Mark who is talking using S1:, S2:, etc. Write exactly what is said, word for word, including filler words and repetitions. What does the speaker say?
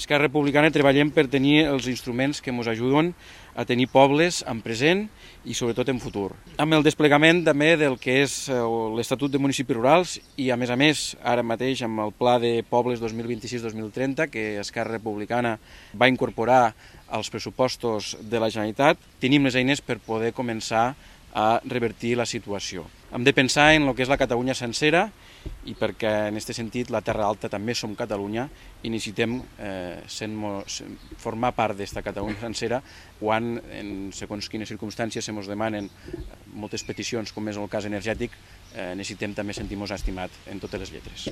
S1: Esquerra Republicana treballem per tenir els instruments que ens ajuden a tenir pobles en present i sobretot en futur. Amb el desplegament també del que és l'Estatut de Municipis Rurals i a més a més ara mateix amb el Pla de Pobles dos mil vint-i-sis dos mil trenta que Esquerra Republicana va incorporar als pressupostos de la Generalitat, tenim les eines per poder començar a revertir la situació. Hem de pensar en el que és la Catalunya sencera i perquè en aquest sentit la Terra Alta també som Catalunya i necessitem eh, sent, formar part d'esta Catalunya sencera quan en segons quines circumstàncies se ens demanen moltes peticions com és el cas energètic, eh, necessitem també sentir-nos estimat en totes les lletres.